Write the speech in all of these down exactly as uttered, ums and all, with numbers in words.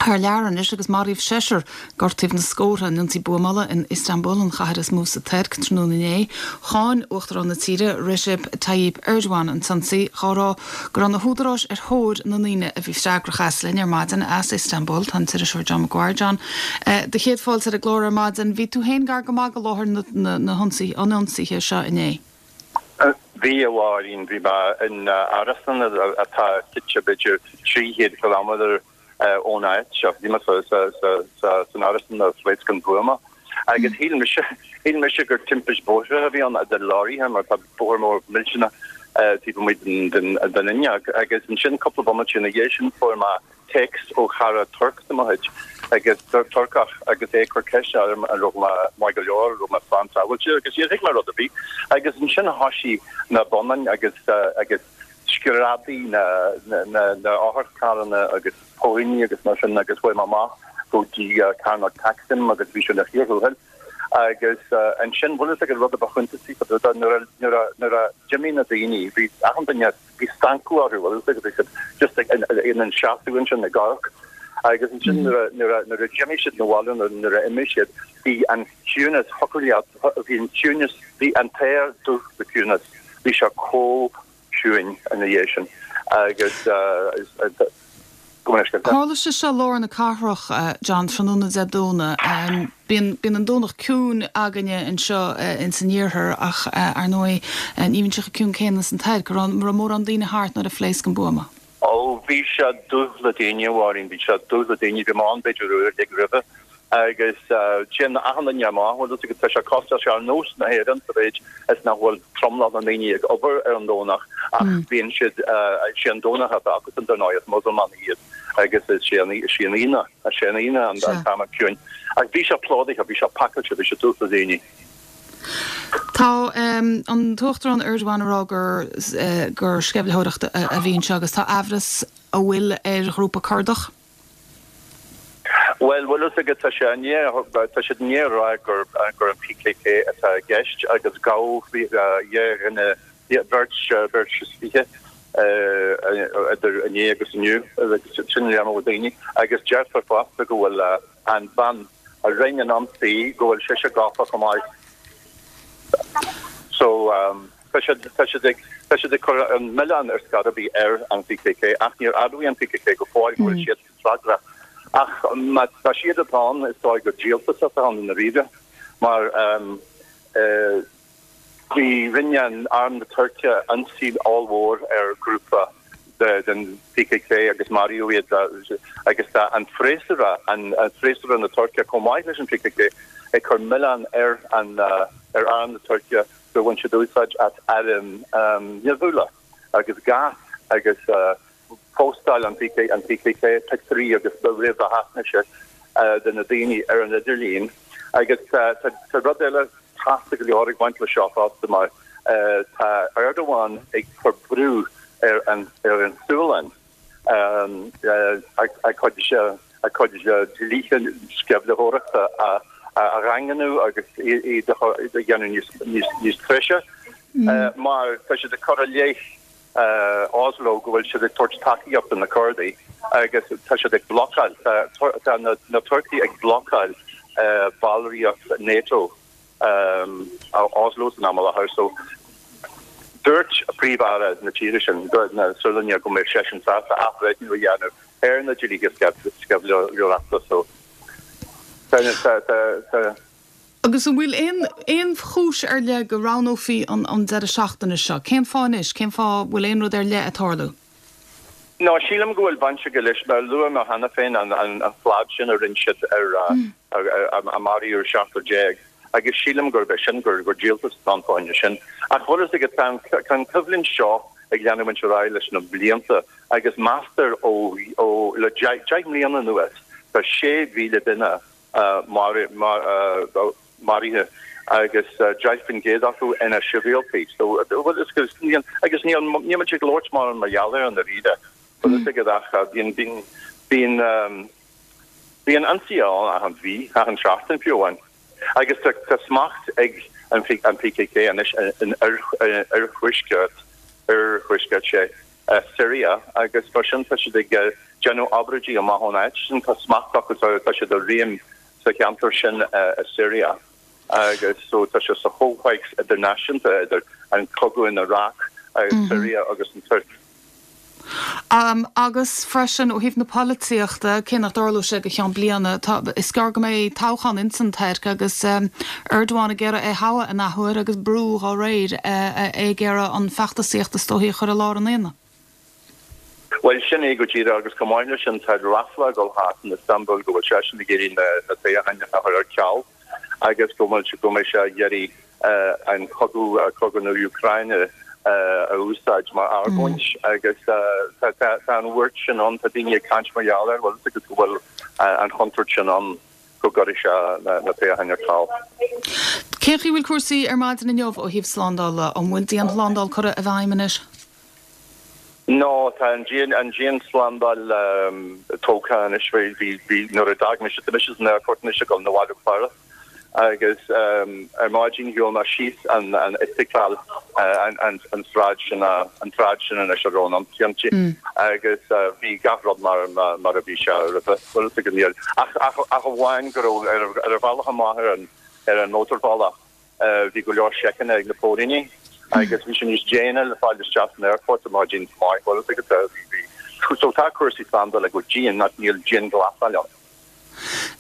Thar lear anois agus maraíodh seisear, gortaíodh na scórtha in ionsaí buamála in Istanbul, an chathair is mó sa Tuirc, tráthnóna inné. Cháin Uachtarán na tíre, Recep Tayyip Erdogan, an t-ionsaí, á rá go raibh na húdaráis ar thóir na ndaoine a bhí freagrach as. Linn ar maidin as Istanbul tá an t-iriseoir John Maguire. John, do chéad fáilte ar an gclár ar maidin. Bhí tú féin gar go maith go láthair na hionsaithe, an ionsaithe seo inné. Bhí, a Mháirín, bhí mé in árasán atá suite b'fhéidir trí chéad kilometre ón áit seo. Bhí mé san árasán a phléasc an buama. Agus shíl mise, shíl mise gur timpist bóithre a bhí ann idir leoraithe mar tá bóthar mór millteanach taobh amuigh den den den fhuinneog. Agus ansin cúpla bomaite ina dhiaidh sin fuair mé téacs ó chara Turc de mo chuid agus Turcach agus é ag cur ceiste orm an raibh mé maith go leor, an raibh mé slán sábháilte agus níor thuig mé rud ar bith. Agus ansin thoisigh na bonnáin agus agus screadaigh na na na otharcharranna agus póilíní agus mar sin agus chuaigh mé amach go dtí Cearnóg Taksim agus bhí sé ina chíor thuathail. Agus ansin bhfuil fhios agat rud a ba shuntasaí fá dtaobh de nuair a nuair a nuair a d'imigh na daoine bhí achan duine bhí stangadh orthu bhfuil fhios agat bhí siad just ag ina seasamh ansin ag amharc agus ansin nuair a nuair a nuair a d'imigh siad na bhaile nuair nuair a imigh siad bhí an ciúnas thiocfadh leat bhí an ciúnas bhí an t-aer dubh le ciúnas bhí sé chomh ciúin ina dhiaidh sin agus go mbeidh scéal. Tharla sé seo i lár na cathrach, John, tráthnóna Dé Domhnaigh. Bíonn bíonn an Domhnach ciúin againne anseo ins an iarthar ach ar ndóigh ní bhíonn sé chomh ciúin céanna san Tuirc. An raibh mórán daoine thart nuair a phléasc an buama? Ó bhí sé dubh le daoine, a Mháirín, bhí sé dubh le daoine, bhí mé ann b'fhéidir uair déag roimhe agus téann achan duine amach, bhfuil fhios agat, tá sé cosúil, sé ar nós na hÉireann sa mhéid is nach bhfuil tromlach na ndaoine ag obair ar an Domhnach ach bíonn siad, sé an Domhnach atá acusan dar ndóigh, is Musulmánaigh iad agus is sé an, is í an Aoine, is sé an Aoine an t-am ciúin. Ach bhí sé plódaithe, bhí sé pacáilte, bhí sé dubh le daoine. Tá an tUachtarán Erdogan ag rá gur gur sceimhlitheoireacht a bhí anseo agus tá aimhreas an bhfuil ar ghrúpa Cordach. Bhuel, bhfuil fhios agat, tá sé i ndiaidh, tá siad i ndiaidh a rá gur, gur an PKK atá i gceist agus gabhadh dhá dhuine, beirt, beirt is fiche idir inné agus inniu, agus sin léir ó daoine. Agus deirtear fosta go bhfuil an bhean a rinne an ionsaí, go bhfuil sise gafa chomh maith. So, tá siad, tá siad ag, tá siad ag cur an milleán ar scor ar bith ar an PKK ach níor admhaigh an PKK go fóill go bhfuil siad freagrach. Ach má tá siad atá ann, is dóigh gur díoltas atá ann i ndáiríre, mar bhí, rinne an Arm na Tuirce ionsaí ollmhór ar ghrúpa den PKK agus maraíodh iad agus tá an freasúra, an freasúra na Tuirce chomh maith leis an PKK ag cur milleán ar an ar Arm na Tuirce gur bhain siad úsáid as airm nimhiúla agus gás agus Phóstáil an PKK pictiúirí agus réamhaisnéise de na daoine ar an idirlíon agus tá rud eile casta go leor ag baint le seo fosta mar tá Erdogan ag cur brú ar an ar an Sualainn a cuid a cuid dlíthe sceimhlitheoireachta a a dhaingniú agus iad a dhéanamh níos níos treise mar tá siad ag cur i leith Oslo go bhfuil siad ag tabhairt tacaíocht do na Cordaigh agus tá siad ag blocáil, tá na Turcaigh ag blocáil ballraíocht NATO Oslo san am i láthair. So dúirt Príomh-Aire na tíre sin, na Sualainne, go mbeadh seisean sásta athbhreithniú a dhéanamh ar na dlíthe sceimhlitheoireachta. So tá, tá, Agus an bhfuil aon aon chúis ar leith go roghnófaí an an deireadh seachtaine seo? Cén fáth anois? Cén fáth bhfuil aon rud ar leith ag tarlú? No, sílim go bhfuil baint aige leis, mar a luaigh mé cheana féin, an an an slad sin a rinne siad ar a maraíodh seachtar déag agus sílim gurb é sin, gur gur díoltas atá ann fá choinne sin. Ach bhfuil fhios agat, tá an tá an choimhlint seo ag leanúint ar aghaidh leis na blianta agus meastar ó ó le deich deich mbliana anuas tá sé mhíle duine maraithe agus deich faoin gcéad acu ina sibhialtaigh. So, bhuel, is agus níl agus níl níl muid ag labhairt mórán mar gheall air i ndáiríre. Bhfuil fhios agat ach bíonn bíonn bíonn bíonn ionsaí ann achan mhí, achan seachtain fiú amháin. Agus tá tá smacht ag an an PKK anois in oirthuaisceart oirthuaisceart sé Syria agus mar sin tá siad ag déanamh obráidí amach ón áit sin tá smacht acu tá siad i réim sa cheantar sin i Syria agus so tá sé sa chomhthéacs idirnáisiúnta idir an cogadh in Iraq agus Syria agus an Tuirc. Um, agus freisin ó thaobh na polaitíochta cé nach dtarlóidh sé go ceann bliana is gearr go mbeidh toghchán insan Tuirc agus um, Erdogan ag iarraidh é thoghadh an athuair agus brú á réir uh, ag iarraidh an fheachtasaíocht is dóichí a chur i lár an aonaigh. Well sin é go díreach agus chomh maith leis sin tá ráfla ag dul thart in Istanbul go bhfuil seisean ag iarraidh na na toghcháin a chur ar ceal agus go bhfuil go mbeidh sé ag iarraidh uh, an cogadh uh, cogadh na Úcráine uh, a úsáid mar argóint mm. agus uh, tá an bhuairt sin ann tá daoine ag caint mar gheall air bhfuil agus go bhfuil uh, an chontúirt sin ann go gcuirfidh sé na, na toghcháin ar ceal. Cén chaoi bhfuil cúrsaí ar maidin inniu ó thaobh slándála an bhfuil dianshlándáil curtha i bhfeidhm anois? No tá an dian an dianshlándáil um, tógtha anois bhí bhí nuair a d'fhág mise mise an airport anois ag dul abhaile go Páras agus um, ar maidin shiúil mé síos an an Istiklal uh, an an an sráid sin an tsráid sin anois a raibh an tionti mm. agus uh, bhí gach rud mar mar, mar a bhí sé roimhe bhfuil go níl ach ach ach amháin go raibh ar ar a bhealach amach ar an ar an mótarbhealach uh, bhí go leor seiceanna ag na póilíní agus bhí sin níos déine le fáil isteach san airport a maidin maith bhfuil bhí so tá cúrsaí slándála go dian nach níl dianghlasáil ann.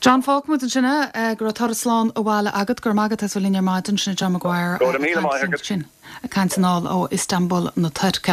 John fágfaimid ansin é go raibh turas slán abhaile agat gur magat as linn ar maidin sin John Maguire sin ag caint anall ó Istanbul na Tuirce.